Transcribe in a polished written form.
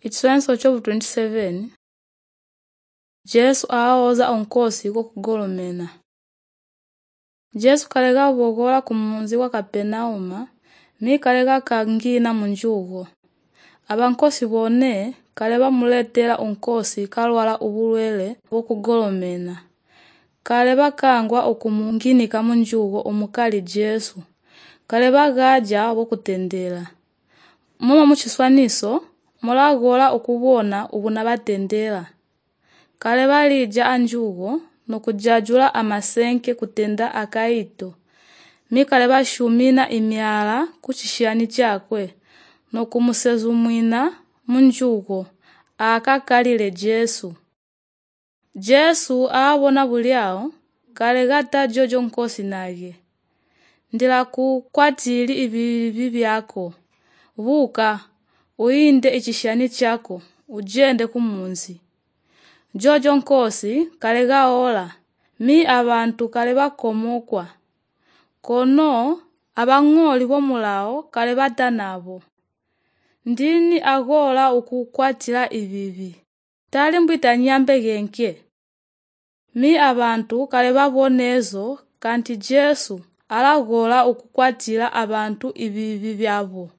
Ichisowanisiro chovu 27 Jesu awoza onkosi kokugolomena. Jesu kalega bogola kumunzi wa Kapenauma, mi kalega kangina munjugo. Abankosi bone kale bamuletela onkosi kalwala ubulwele bokugolomena. Kale bakangwa okumunginika munjugo omukali Jesu. Kale bagaja bokutendela. Moma muchiswaniso mulagola okubona ubuna batendela. Kale balija anjugo nokujajula amasenke kutenda akaito. Mikale bashumina imyala kuchishani chakwe nokumusezumwina munjugo akakalile Jesu. Jesu awabona buliao kale gata jojo nkosi nage. Ndila kukwatili ibibi byako. Buka uinde ichishani chako ujende kumunzi. Jojo nkosi kale gaola mi abantu kale bakomokwa. Kono abang'oli bomulao kale batanabo. Ndini agola ukukwatila ibibi. Tali mbwita nyambe genke. Mi abantu kale babonezo kanti Jesu alagola ukukwatila abantu ibibi byabo.